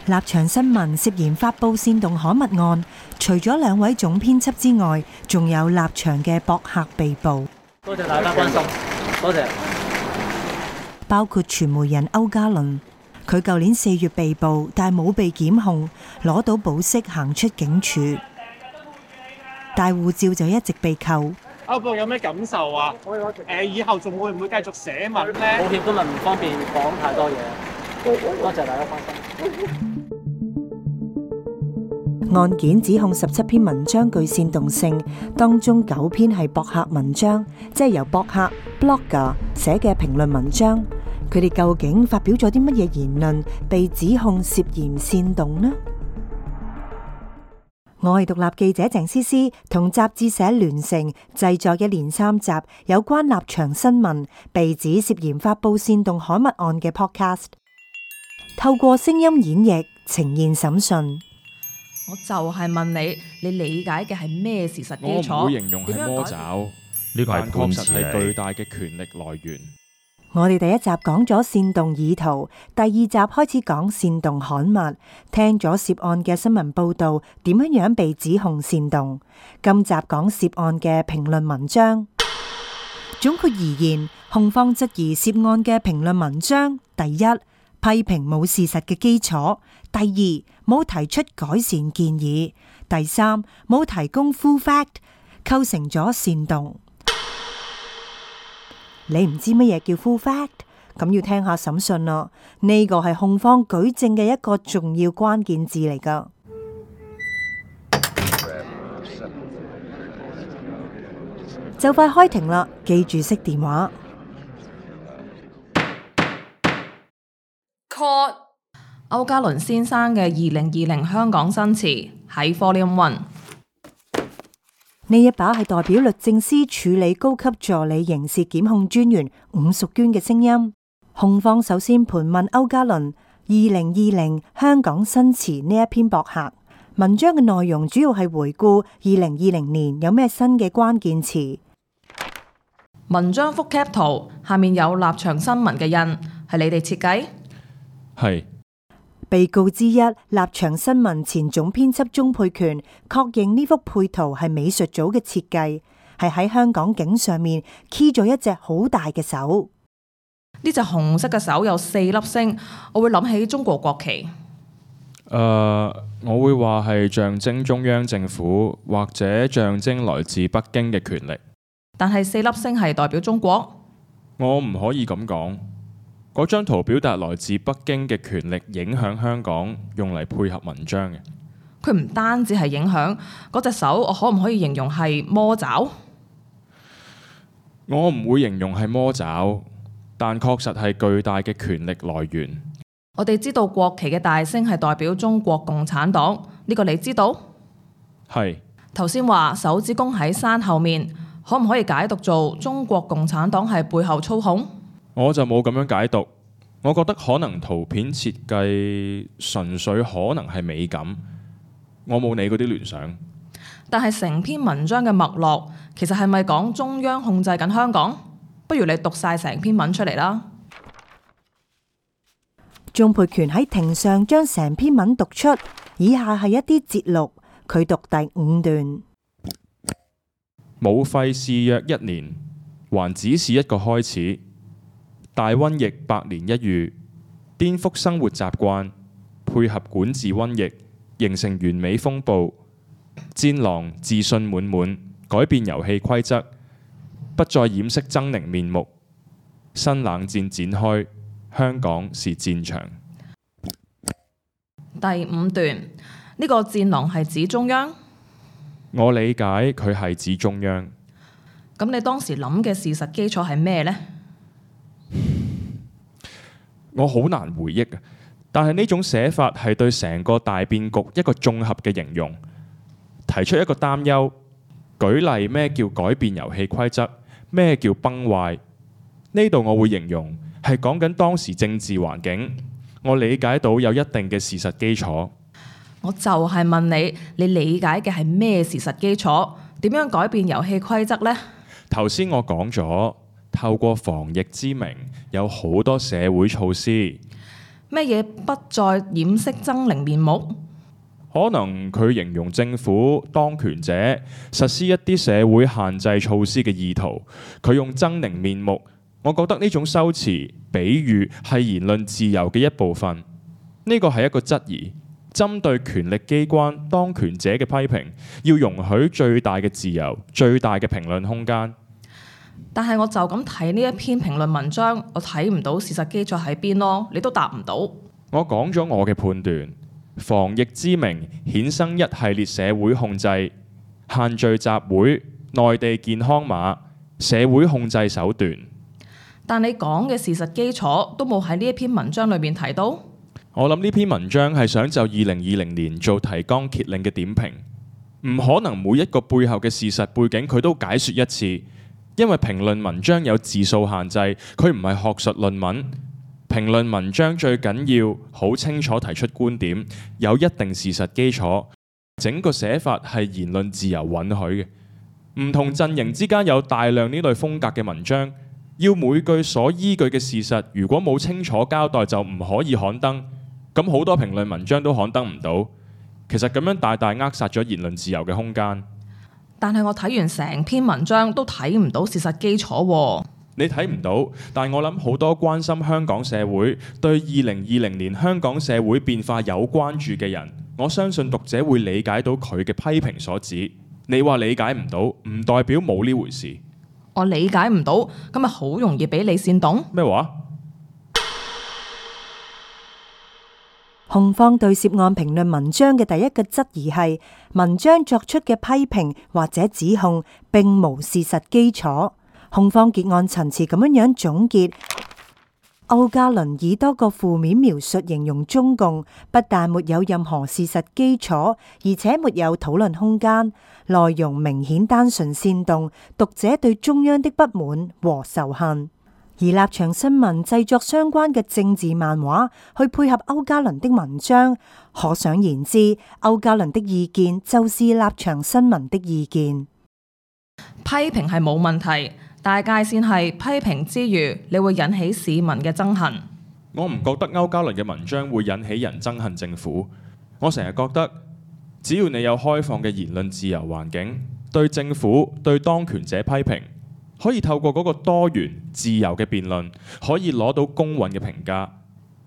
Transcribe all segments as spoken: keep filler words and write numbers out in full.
立場新聞涉嫌發布煽動刊物案，除咗兩位總編輯之外，仲有立場嘅博客被捕。多謝大家關心，多謝。包括傳媒人歐嘉倫，佢舊年四月被捕，但冇被檢控，攞到保釋行出警署，但護照就一直被扣。歐博有咩感受啊？誒，以後仲會唔會繼續寫文咧？抱歉今日唔方便講太多嘢，多謝大家關心。案件指控十七篇文章具煽動性，當中九篇係博客文章，即係由博客 blogger 寫嘅評論文章。佢哋究竟發表咗啲乜嘢言論，被指控涉嫌煽動呢？我係獨立記者鄭思思，同雜誌社聯成製作一連三集有關立場新聞被指涉嫌發布煽動刊物案嘅 podcast， 透過聲音演繹呈現審訊。我就係問你，你理解嘅係咩事實基礎？我唔會形容係魔爪，呢個係判詞確實係巨大嘅權力來源。我哋第一集講咗煽動意圖，第二集開始講煽動刊物，聽咗涉案嘅新聞報道點樣樣被指控煽動。今集講涉案嘅評論文章。總括而言，控方質疑涉案嘅評論文章：第一，批評冇事實嘅基礎；第二，冇提出改善建議；第三，冇提供 full fact， 構成咗煽動。你唔知乜嘢叫 full fact， 咁要聽下審訊咯。呢個係控方舉證嘅一個重要關鍵字嚟㗎。就快開庭啦，記住熄電話。Call 歐嘉倫先生嘅二零二零香港新詞喺 Volume One。呢一把係代表律政司處理高級助理刑事檢控專員伍淑娟嘅聲音。控方首先盤問歐嘉倫二零二零香港新詞呢一篇博客文章嘅內容，主要係回顧二零二零年有咩新嘅關鍵詞。文章幅 cap 圖下面有立場新聞嘅印，係你哋設計？係。被告之一，立場新聞前總編輯鍾沛權確認呢幅配圖係美術組嘅設計，係喺香港景上面 key 咗一隻好大嘅手。呢隻紅色嘅手有四粒星，我會諗起中國國旗。誒、呃，我會話係象徵中央政府或者象徵來自北京嘅權力。但係四粒星係代表中國？我唔可以咁講。嗰張圖表達來自北京嘅權力影響香港，用嚟配合文章嘅。佢唔單止係影響嗰隻手，我可唔可以形容係魔爪？我唔會形容係魔爪，但確實係巨大嘅權力來源。我哋知道國旗嘅大星係代表中國共產黨，呢個你知道？係。頭先話手指公喺山後面，可唔可以解讀做中國共產黨係背後操控？我就冇咁樣解讀，我覺得可能圖片設計純粹可能係美感，我冇你嗰啲聯想。但係成篇文章嘅脈絡，其實係咪講中央控制緊香港？不如你讀晒成篇文出嚟啦。鍾沛權喺庭上將成篇文讀出，以下係一啲節錄，佢讀第五段。武肺試約一年，還只是一個開始。大瘟疫百年一遇，顛覆生活習慣，配合管治瘟疫，形成完美風暴。戰狼自信滿滿，改變遊戲規則，不再掩飾猙獰面目。新冷戰展開，香港是戰場。第五段，呢、這個戰狼係指中央？我理解佢係指中央。咁你當時諗嘅事實基礎係咩呢？我好難回憶啊！但係呢種寫法係對成個大變局一個綜合嘅形容，提出一個擔憂。舉例咩叫改變遊戲規則，咩叫崩壞？呢度我會形容係講緊當時政治環境。我理解到有一定嘅事實基礎。我就係問你，你理解嘅係咩事實基礎？點樣改變遊戲規則呢？頭先我講咗，透過防疫之名，有好多社會措施。咩嘢不再掩飾猙獰面目？可能佢形容政府當權者實施一啲社會限制措施嘅意圖，佢用猙獰面目。我覺得呢種修辭比喻係言論自由嘅一部分。呢個係一個質疑，針對權力機關當權者嘅批評，要容許最大嘅自由、最大嘅評論空間。但係我就咁睇呢一篇評論文章，我睇唔到事實基礎喺邊咯，你都答唔到。我講咗我嘅判斷。防疫之名衍生一系列社會控制、限聚集會、內地健康碼、社會控制手段。但你講嘅事實基礎都冇喺呢一篇文章裏面提到。我諗呢篇文章係想就二零二零年做提綱挈領嘅點評，唔可能每一個背後嘅事實背景佢都解說一次，因為評論文章有字數限制，佢唔係學術論文。評論文章最緊要好清楚提出觀點，有一定事實基礎，整個寫法係言論自由允許嘅。唔同陣營之間有大量呢類風格嘅文章，要每句所依據嘅事實如果冇清楚交代就唔可以刊登，咁好多評論文章都刊登唔到。其實咁樣大大扼殺咗言論自由嘅空間。但係我睇完成篇文章都睇唔到事實基礎喎。你睇唔到，但我諗好多關心香港社會、對二零二零年香港社會變化有關注嘅人，我相信讀者會理解到佢嘅批評所指。你話理解唔到，唔代表冇呢回事。我理解唔到，咁咪好容易俾你煽動？咩話？控方對涉案評論文章嘅第一個質疑係，文章作出嘅批評或者指控並無事實基礎。控方結案陳詞咁樣樣總結，區家麟以多個負面描述形容中共，不但沒有任何事實基礎，而且沒有討論空間，內容明顯單純煽動讀者對中央的不滿和仇恨。而立場新聞製作相關嘅政治漫畫去配合區家麟的文章，可想而知，區家麟的意見就是立場新聞的意見。批評係冇問題。大界線係批評之餘，你會引起市民嘅憎恨。我唔覺得區家麟嘅文章會引起人憎恨政府。我成日覺得，只要你有開放嘅言論自由環境，對政府、對當權者批評，可以透過嗰個多元自由嘅辯論，可以攞到公允嘅評價。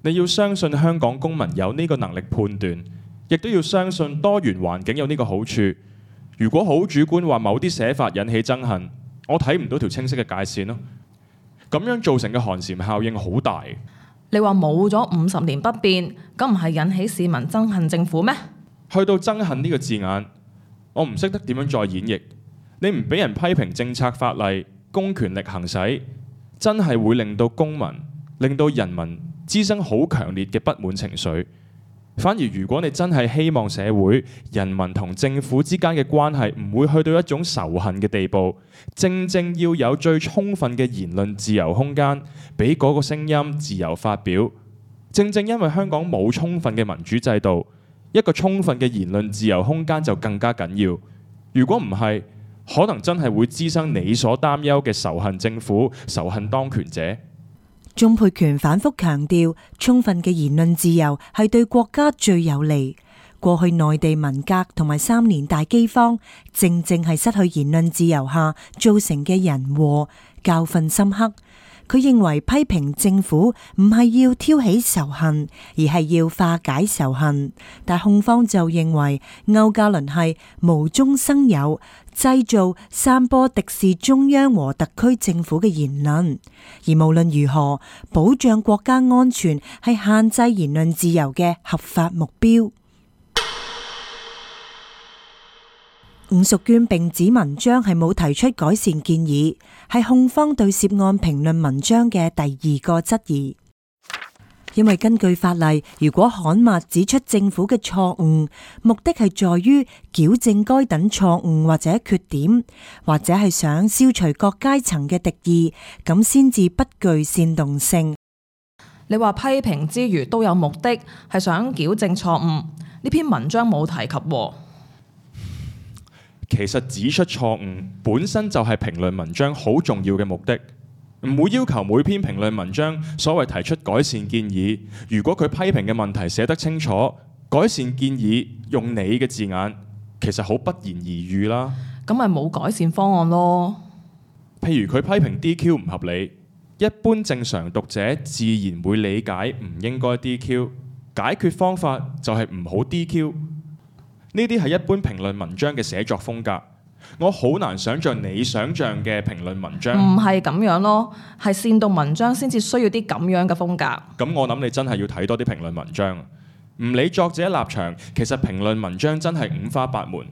你要相信香港公民有呢個能力判斷，亦都要相信多元環境有呢個好處。如果好主觀話某啲寫法引起憎恨，我睇唔到條清晰嘅界線咯，咁樣造成嘅寒蟬效應好大。你話冇咗五十年不變，咁唔係引起市民憎恨政府咩？去到憎恨呢個字眼，我唔識得點樣再演繹。你唔俾人批評政策法例、公權力行使，真係會令到公民、令到人民滋生好強烈嘅不滿情緒。反而如果你真係希望社會、人民同政府之間嘅關係唔會去到一種仇恨嘅地步，正正要有最充分嘅言論自由空間，俾嗰個聲音自由發表。正正因為香港冇充分嘅民主制度，一個充分嘅言論自由空間就更加緊要。如果唔係，可能真係會滋生你所擔憂嘅仇恨政府、仇恨當權者。鍾沛權反覆強調，充分嘅言論自由係對國家最有利。過去內地文革同埋三年大饑荒，正正係失去言論自由下造成嘅人禍，教訓深刻。佢認為批評政府唔係要挑起仇恨，而係要化解仇恨。但控方就認為區家麟係無中生有，製造散播敵視中央和特區政府嘅言論。而無論如何，保障國家安全係限制言論自由嘅合法目標。伍淑娟並指文章係冇提出改善建議，係控方對涉案評論文章嘅第二個質疑。因為根據法例，如果刊物指出政府嘅錯誤，目的係在於矯正該等錯誤或者缺點，或者係想消除各階層嘅敵意，咁先至不具煽動性。你話批評之餘都有目的，係想矯正錯誤，呢篇文章冇提及喎。其實指出錯誤本身就係評論文章好重要嘅目的。唔會要求每篇評論文章所謂提出改善建議。如果佢批評嘅問題寫得清楚，改善建議用你嘅字眼，其實好不言而喻啦。咁咪冇改善方案咯。譬如佢批評 D Q 唔合理，一般正常讀者自然會理解唔應該 D Q， 解決方法就係唔好 D Q。呢啲係一般評論文章嘅寫作風格。我好難想像你想像嘅評論文章。唔係咁樣咯，係煽動文章先至需要啲咁樣嘅風格。咁我諗你真係要睇多啲評論文章。唔理作者立場，其實評論文章真係五花八門，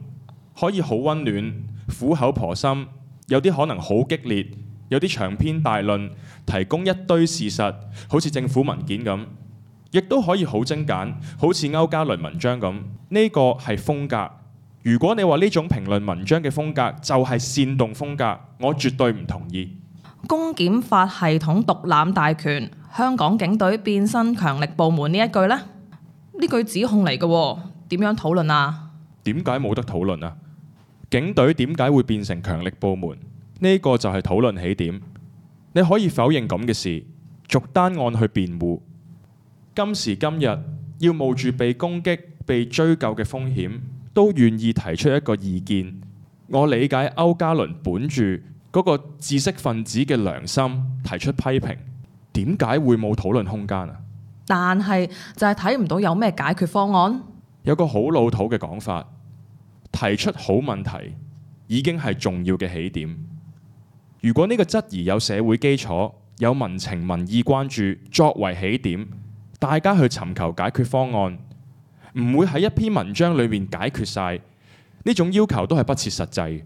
可以好溫暖、苦口婆心，有啲可能好激烈，有啲長篇大論，提供一堆事實，好似政府文件咁。亦都可以好精簡，好似歐嘉倫文章咁。呢個係風格。如果你話呢種評論文章嘅風格就係煽動風格，我絕對唔同意。公檢法系統獨攬大權，香港警隊變身強力部門呢一句呢？呢句指控嚟嘅，點樣討論啊？點解冇得討論啊？警隊點解會變成強力部門？呢個就係討論起點。你可以否認咁嘅事，逐單案去辯護。今時今日，要冒住被攻擊、被追究嘅風險，都願意提出一個意見。我理解歐嘉倫本住嗰個知識分子嘅良心提出批評，點解會冇討論空間啊？但係就係睇唔到有咩解決方案。有個好老土嘅講法，提出好問題已經係重要嘅起點。如果呢個質疑有社會基礎、有民情民意關注作為起點，大家去尋求解決方案，唔會喺一篇文章裏面解決晒。呢種要求都係不切實際。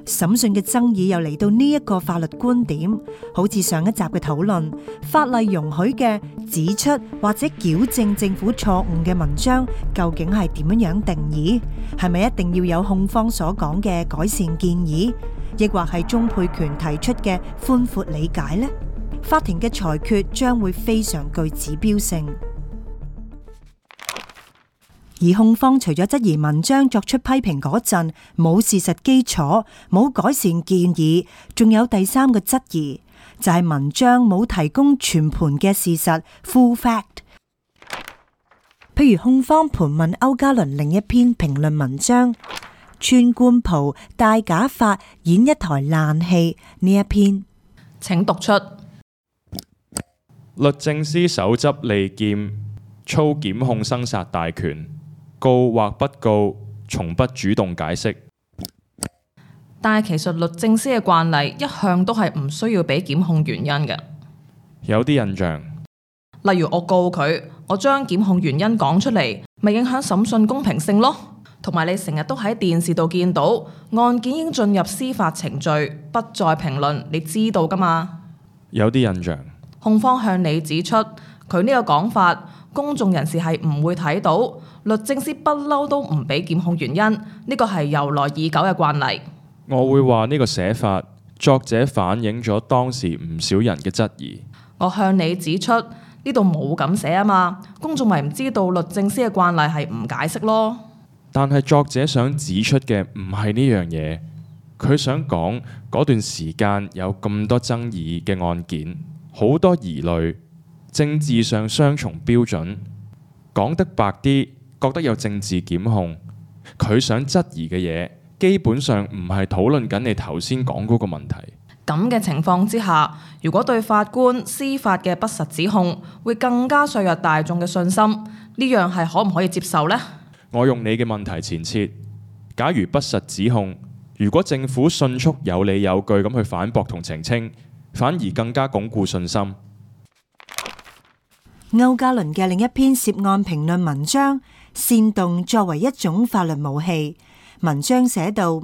審訊嘅爭議又嚟到呢一個法律觀點，好似上一集嘅討論，法例容許嘅指出或者矯正政府錯誤嘅文章，究竟係點樣樣定義？係咪一定要有控方所講嘅改善建議，亦或係鍾沛權提出嘅寬闊理解呢？法庭嘅裁決將會非常具指標性。而控方除咗質疑文章作出批評嗰陣冇事實基礎、冇改善建議，仲有第三個質疑，就係文章冇提供全盤嘅事實 （full fact）。譬如控方盤問歐嘉倫另一篇評論文章《穿官袍戴假髮演一台爛戲》呢一篇，請讀出。律政司手執利劍，操檢控生殺大權，告或不告，從不主動解釋。但係其實律政司嘅慣例一向都係唔需要俾檢控原因嘅。有啲印象，例如我告佢，我將檢控原因講出嚟，咪影響審訊公平性咯。同埋你成日都喺電視度見到案件已經進入司法程序，不再評論，你知道噶嘛？有啲印象。控方向你指出，佢呢個講法，公眾人士係唔會睇到。律政司不嬲都唔俾檢控原因，呢個係由來已久嘅慣例。我會話呢個寫法，作者反映咗當時唔少人嘅質疑。我向你指出，呢度冇咁寫啊嘛，公眾咪唔知道律政司嘅慣例係唔解釋咯。但係作者想指出嘅唔係呢樣嘢，佢想講嗰段時間有咁多爭議嘅案件，好多疑慮，政治上雙重標準，講得白啲，覺得有政治檢控。佢想質疑嘅嘢，基本上唔係討論緊你頭先講嗰個問題。咁嘅情況之下，如果對法官司法嘅不實指控，會更加削弱大眾嘅信心，呢樣係可唔可以接受呢？我用你嘅問題前設，假如不實指控，如果政府迅速有理有據咁去反駁同澄清，反而更加鞏固信心。歐嘉倫嘅另一篇涉案評論文章，煽動作為一種法律武器。文章寫道：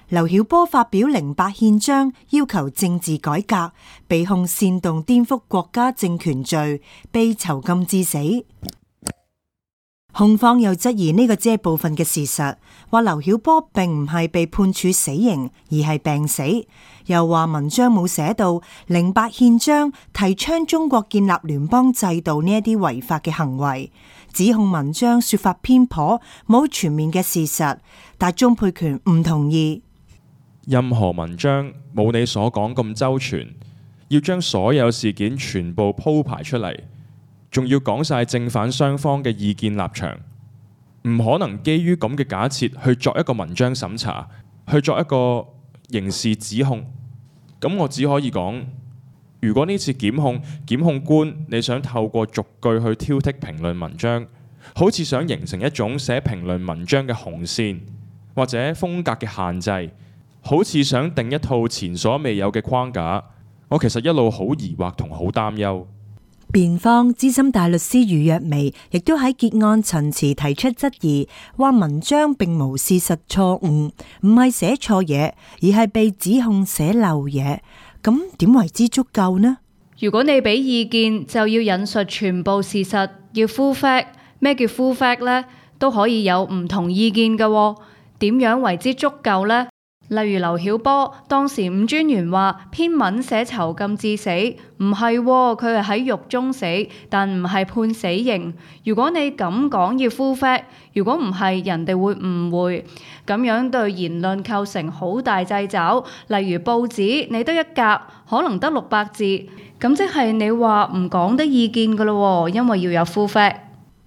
劉曉波發表零八憲章，要求政治改革，被控煽動顛覆國家政權罪，被囚禁致死。控方又質疑呢個只係部分嘅事實，話劉曉波並唔係被判處死刑，而係病死。又話文章冇寫到零八憲章提倡中國建立聯邦制度呢一啲違法嘅行為，指控文章說法偏頗，冇全面嘅事實。但鍾沛權唔同意。任何文章冇你所講咁周全，要將所有事件全部鋪排出嚟，仲要講晒正反雙方嘅意見立場，唔可能基於咁嘅假設去作一個文章審查，去作一個刑事指控。咁我只可以講，如果呢次檢控檢控官你想透過逐句去挑剔評論文章，好似想形成一種寫評論文章嘅紅線或者風格嘅限制，好似想定一套前所未有嘅框架，我其實一路好疑惑同好擔憂。辯方資深大律師余若薇亦都喺結案陳詞提出質疑，話文章並無事實錯誤，唔係寫錯嘢，而係被指控寫漏嘢。咁點為之足夠呢？如果你俾意見，就要引述全部事實，要 full fact。咩叫 full fact 呢？都可以有唔同意見嘅喎。點樣為之足夠呢？例如劉曉波當時伍專員話篇文寫囚禁致死，唔係喎，佢係喺獄中死，但唔係判死刑。如果你咁講要 full fact，如果唔係，人哋會誤會，咁樣對言論構成好大掣肘。例如報紙你得一格，可能得六百字，咁即係你話唔講得意見噶咯，因為要有 full fact。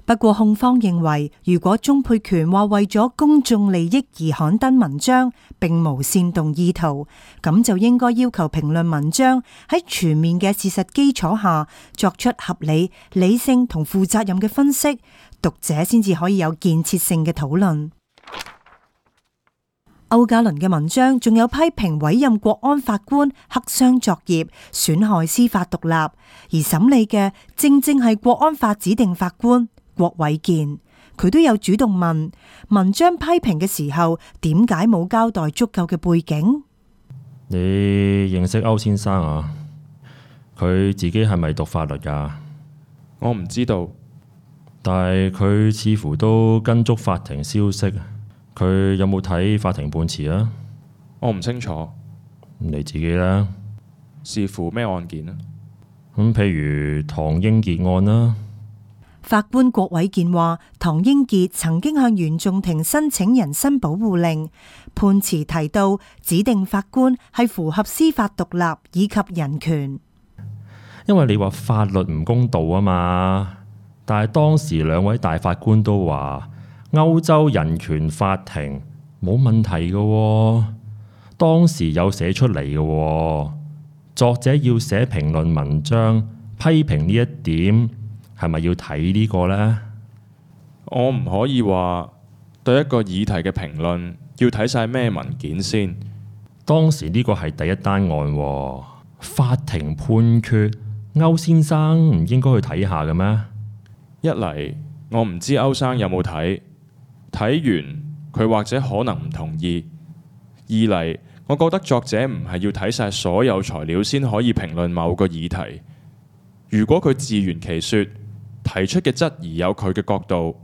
不過控方認為，如果鍾沛權話為咗公眾利益而刊登文章，並無煽動意圖，咁就應該要求評論文章喺全面嘅事實基礎下作出合理、理性同負責任嘅分析，讀者先至可以有建設性嘅討論。歐嘉倫嘅文章仲有批評委任國安法官黑箱作業，損害司法獨立，而審理嘅正正係國安法指定法官郭偉健，佢都有主動問文章批評嘅時候，點解冇交代足夠嘅背景？你認識歐先生啊？佢自己係咪讀法律㗎？我唔知道，但係佢似乎都跟足法庭消息。佢有冇睇法庭判詞啊？我唔清楚。你自己啦。視乎咩案件啊？咁譬如唐英傑案啦。法官郭偉健話，唐英傑曾經向袁仲廷申請人身保護令，判詞提到指定法官係符合司法獨立以及人權。因為你話法律唔公道啊嘛，但係當時兩位大法官都話歐洲人權法庭冇問題嘅喎，當時有寫出嚟嘅喎，作者要寫評論文章批評呢一點，係咪要睇呢個呢？我唔可以話對一個議題嘅評論要睇晒咩文件先。當時呢個係第一單案喎，法庭判決歐先生唔應該去睇下嘅咩？一嚟我唔知歐生有冇睇，睇完佢或者可能唔同意；二嚟我覺得作者唔係要睇晒所有材料先可以評論某個議題。如果佢自圓其說，提出嘅質疑有佢嘅角度，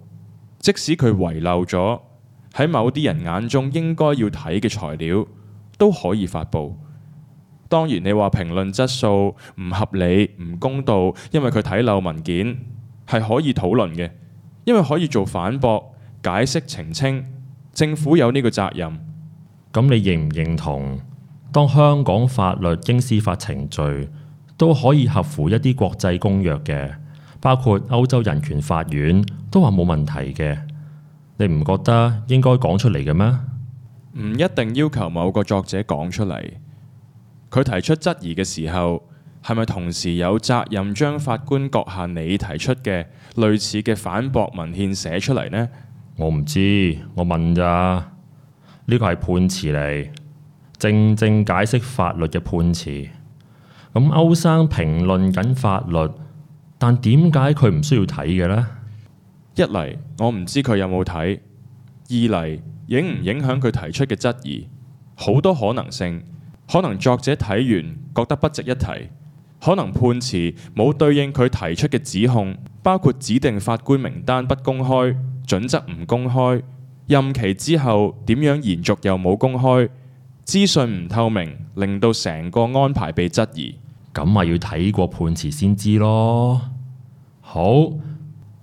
即使佢遺漏咗喺某啲人眼中應該要睇嘅材料，都可以發布。當然你話評論質素唔合理、唔公道，因為佢睇漏文件，係可以討論嘅，因為可以做反駁、解釋、澄清，政府有呢個責任。咁你認唔認同，當香港法律經司法程序都可以合乎一啲國際公約嘅，包括歐洲人權法院都話冇問題嘅，你唔覺得應該講出嚟嘅咩？唔一定要求某個作者講出嚟。佢提出質疑嘅時候，係咪同時有責任將法官閣下你提出嘅類似嘅反駁文獻寫出嚟呢？我唔知，我問咋？呢個係判詞嚟，正正解釋法律嘅判詞。咁歐生評論緊法律，但點解佢唔需要睇嘅呢？一嚟我唔知佢有冇睇，二嚟影唔影響佢提出嘅質疑，好多可能性。可能作者睇完覺得不值一提，可能判詞冇對應佢提出嘅指控，包括指定法官名單不公開、準則唔公開、任期之後點樣延續又冇公開、資訊唔透明，令到成個安排被質疑。咁咪要睇過判詞先知咯。好，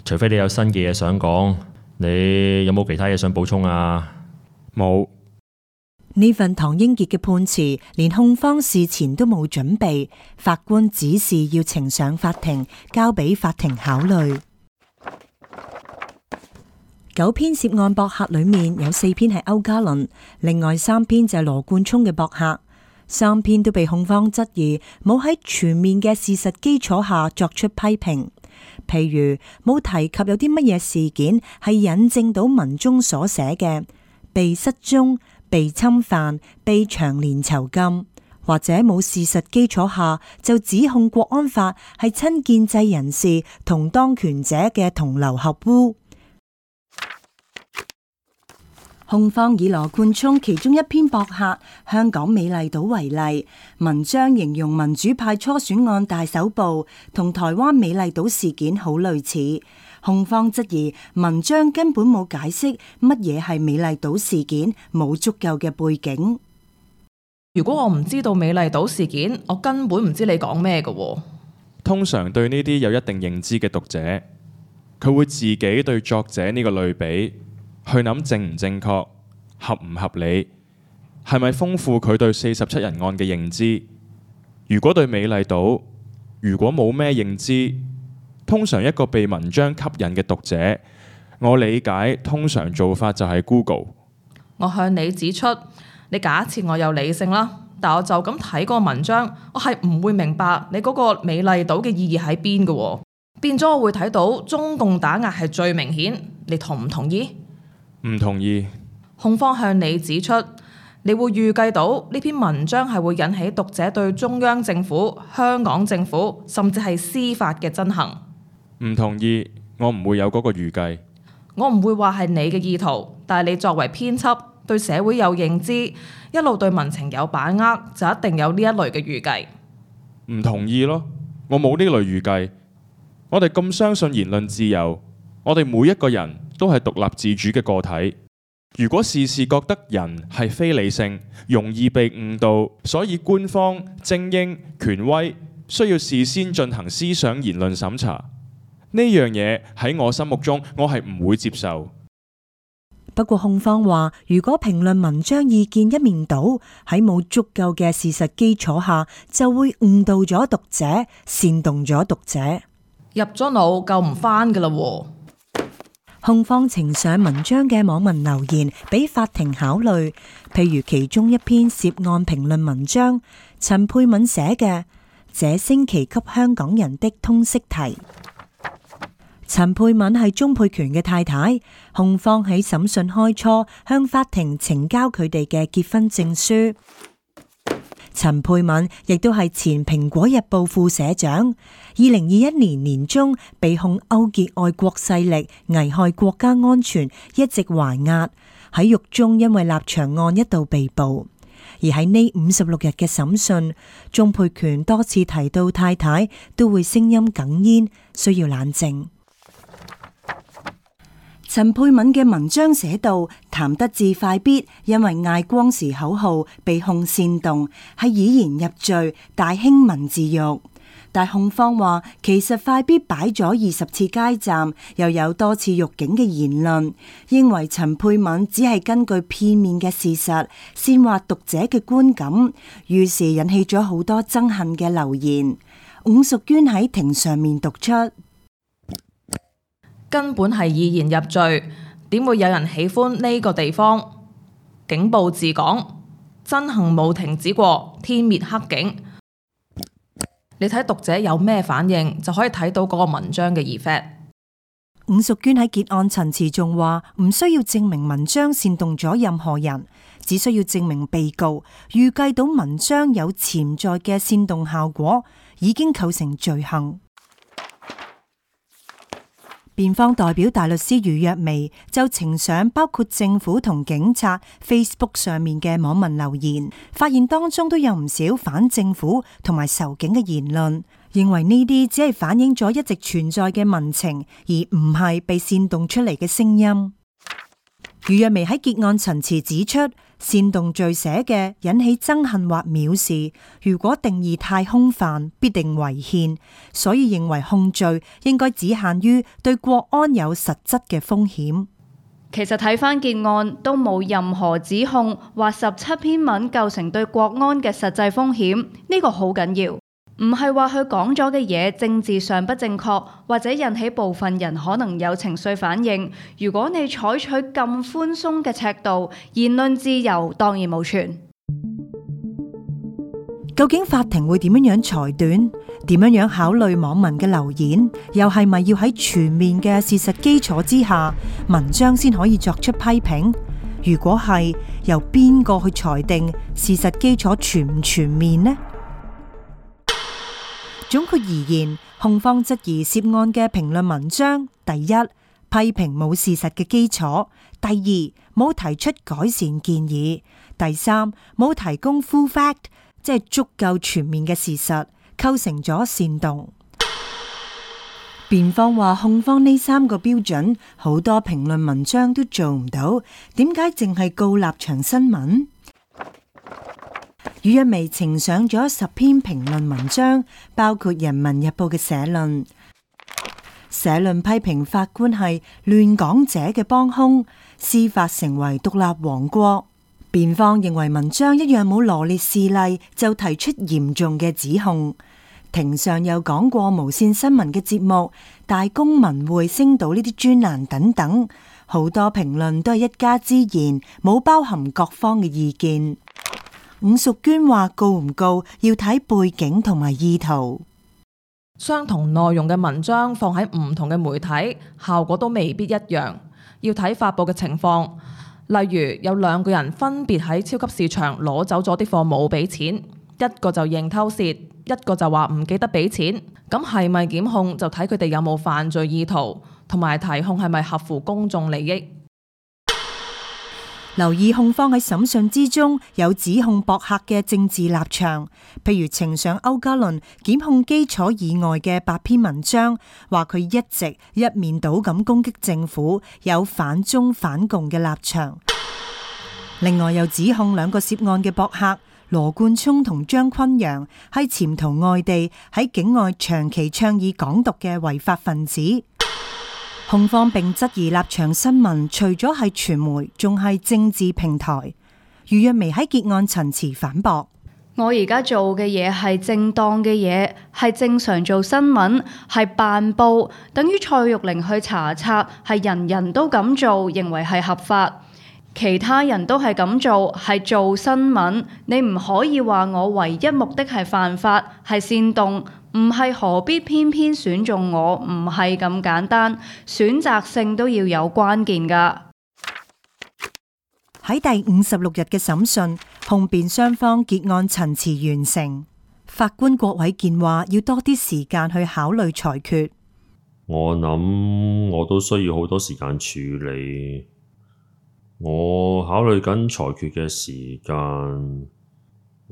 除非你有新嘅嘢想講，你有冇其他嘢想補充啊？冇。呢份唐英傑嘅判詞，連控方事前都冇準備，法官指示要呈上法庭，交俾法庭考慮。九篇涉案博客裏面有四篇係區家麟，另外三篇就係羅冠聰嘅博客，三篇都被控方質疑冇喺全面嘅事實基礎下作出批評，譬如冇提及有啲乜嘢事件係引證到文中所寫嘅被失蹤、被侵犯、被長年囚禁，或者冇事實基礎下就指控國安法係親建制人士同當權者嘅同流合污。控方以羅冠聰其中一篇博客《香港美麗島》為例，文章形容民主派初選案大搜捕同台灣美麗島事件好類似。控方質疑文章根本冇解釋乜嘢係美麗島事件，冇足夠嘅背景。如果我唔知道美麗島事件，我根本唔知你講咩嘅。通常對呢啲有一定認知嘅讀者，佢會自己對作者呢個類比去諗正唔正確、合唔合理，係咪豐富佢對四十七人案嘅認知。如果對美麗島，如果冇咩認知，通常一個被文章吸引嘅讀者，我理解通常做法就係 Google。我向你指出，你假設我有理性啦，但我就咁睇個文章，我係唔會明白你嗰個美麗島嘅意義喺邊嘅。變咗我會睇到中共打壓係最明顯，你同唔同意？唔同意。控方向你指出，你會預計到呢篇文章係會引起讀者對中央政府、香港政府甚至係司法嘅憎恨。唔同意，我唔會有嗰個預計。我唔會話係你嘅意圖，但係你作為編輯，對社會有認知，一路對民情有把握，就一定有呢一類嘅預計。唔同意咯，我冇呢類預計。我哋咁相信言論自由，我哋每一個人都係獨立自主嘅個體。如果事事覺得人係非理性，容易被誤導，所以官方、精英、權威需要事先進行思想言論審查，呢樣嘢喺我心目中，我係唔會接受。不過控方話，如果評論文章意見一面倒，喺冇足夠嘅事實基礎下，就會誤導咗讀者，煽動咗讀者，入咗腦救唔返㗎啦。控方呈上文章嘅網民留言俾法庭考慮，譬如其中一篇涉案評論文章，陳佩敏寫嘅《這星期給香港人的通識題》。陳佩敏係鍾沛權嘅太太，控方喺審訊開初向法庭呈交佢哋嘅結婚證書。陳佩敏亦都係前蘋果日報副社長，二零二一年年中被控勾結外國勢力危害國家安全，一直還押，喺獄中因為立場案一度被捕。而喺呢五十六日嘅審訊，鍾沛權多次提到太太都會聲音哽咽，需要冷靜。陳佩敏嘅文章寫到，譚得志快必因為嗌光時口號被控煽動，係以言入罪，大興文字獄。但控方話，其實快必擺咗二十次街站，又有多次辱警嘅言論，認為陳佩敏只係根據片面嘅事實，煽惑讀者嘅觀感，於是引起咗好多憎恨嘅留言。伍淑娟喺庭上面讀出。根本係以言入罪，點會有人喜歡呢個地方？警暴治港，憎恨冇停止過，天滅黑警。你睇讀者有咩反應，就可以睇到嗰個文章嘅 effect。伍淑娟喺結案陳詞仲話，唔需要證明文章煽動咗任何人，只需要證明被告預計到文章有潛在嘅煽動效果，已經構成罪行。辯方代表大律師余若薇就呈上包括政府同警察 Facebook 上面嘅網民留言，發現當中都有唔少反政府同埋仇警嘅言論，認為呢啲只係反映咗一直存在嘅民情，而唔係被煽動出嚟嘅聲音。余若薇喺結案陳詞指出，煽動罪寫嘅引起憎恨或藐視，如果定義太空泛，必定違憲，所以認為控罪應該只限於對國安有實質嘅風險。其實睇返結案都冇任何指控話十七篇文構成對國安嘅實際風險，呢個好緊要。唔係話佢講咗嘅嘢政治上不正確，或者引起部分人可能有情緒反應。如果你採取咁寬鬆嘅尺度，言論自由當然無存。究竟法庭會點樣樣裁斷？點樣樣考慮網民嘅留言？又係咪要喺全面嘅事實基礎之下，文章先可以作出批評？如果係，由邊個去裁定事實基礎全唔全面呢？總括而言，控方質疑涉案嘅評論文章，第一，批評冇事實嘅基礎；第二，冇提出改善建議；第三，冇提供 full fact， 即係足夠全面嘅事實，構成咗煽動。辯方話控方呢三個標準，好多評論文章都做唔到，點解淨係告立場新聞？余若薇呈上咗十篇評論文章，包括《人民日報》嘅社論。社論批評法官係亂港者嘅幫兇，司法成為獨立王國。辯方認為文章一樣冇羅列事例，就提出嚴重嘅指控。庭上又講過無線新聞嘅節目、大公文匯星島呢啲專欄等等，好多評論都係一家之言，冇包含各方嘅意見。伍淑娟話告唔告要睇背景同埋意圖，相同內容嘅文章放喺唔同嘅媒體，效果都未必一樣，要睇發佈嘅情況。例如有兩個人分別喺超級市場攞走咗啲貨冇俾錢，一個就認偷竊，一個就話唔記得俾錢。咁係咪檢控就睇佢哋有冇犯罪意圖，同埋提控係咪合乎公眾利益。留意控方喺審訊之中有指控博客嘅政治立場，譬如呈上歐嘉倫檢控基礎以外嘅八篇文章，話佢一直一面倒咁攻擊政府，有反中反共嘅立場。另外又指控兩個涉案嘅博客羅冠聰同張坤陽係潛逃外地，喺境外長期倡議港獨嘅違法分子。控方並質疑立場新聞除咗係傳媒，仲係政治平台。余若薇喺結案陳詞反駁：我而家做嘅嘢係正當嘅嘢，係正常做新聞，係辦報，等於蔡玉玲去查冊，係人人都咁做，認為係合法。其他人都係咁做，係做新聞。你唔可以話我唯一目的係犯法，係煽動。唔係何必偏偏選中我？唔係咁簡單，選擇性都要有關鍵㗎。喺第五十六日嘅審訊，控辯雙方結案陳詞完成，法官郭偉健話要多啲時間去考慮裁決。我諗我都需要好多時間處理。我考慮緊裁決嘅時間，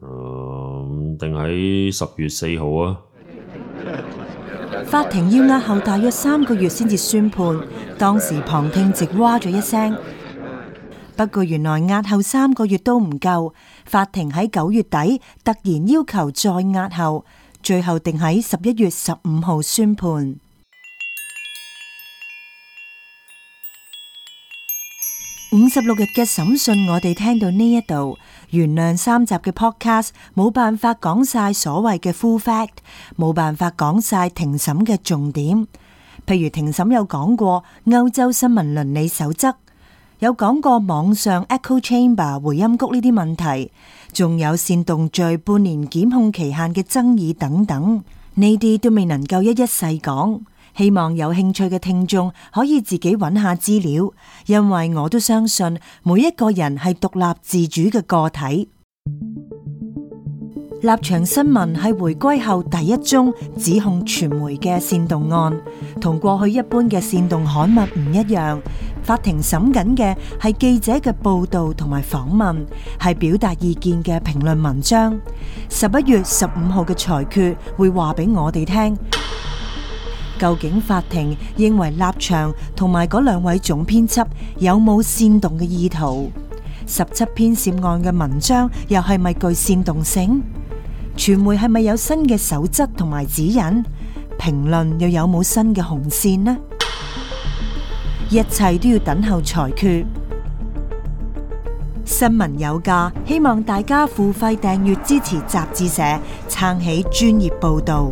誒定喺十月四號啊。法庭要押後大約三個月先至宣判，當時旁聽席哇咗一聲。不過原來押後三個月都唔夠，法庭喺九月底突然要求再押後，最後定喺十一月十五號宣判。五十六日嘅審訊，我哋聽到呢一度，原諒三集嘅 podcast 冇辦法講晒所謂嘅 full fact， 冇辦法講晒庭審嘅重點。譬如庭審有講過歐洲新聞倫理守則，有講過網上 echo chamber 回音谷呢啲問題，仲有煽動罪半年檢控期限嘅爭議等等，呢啲都未能夠一一細講。希望有興趣嘅聽眾可以自己揾下資料，因為我都相信每一個人係獨立自主嘅個體。立場新聞係回歸後第一宗指控傳媒嘅煽動案，同過去一般嘅煽動刊物唔一樣。法庭審緊嘅係記者嘅報道同埋訪問，係表達意見嘅評論文章。十一月十五號嘅裁決會話俾我哋聽。究竟法庭認為立場同埋嗰兩位總編輯有冇煽動嘅意圖？十七篇涉案嘅文章又係咪具煽動性？傳媒係咪有新嘅守則同埋指引？評論又有冇新嘅紅線呢？一切都要等候裁決。新聞有價，希望大家付費訂閱支持雜誌社，撐起專業報導。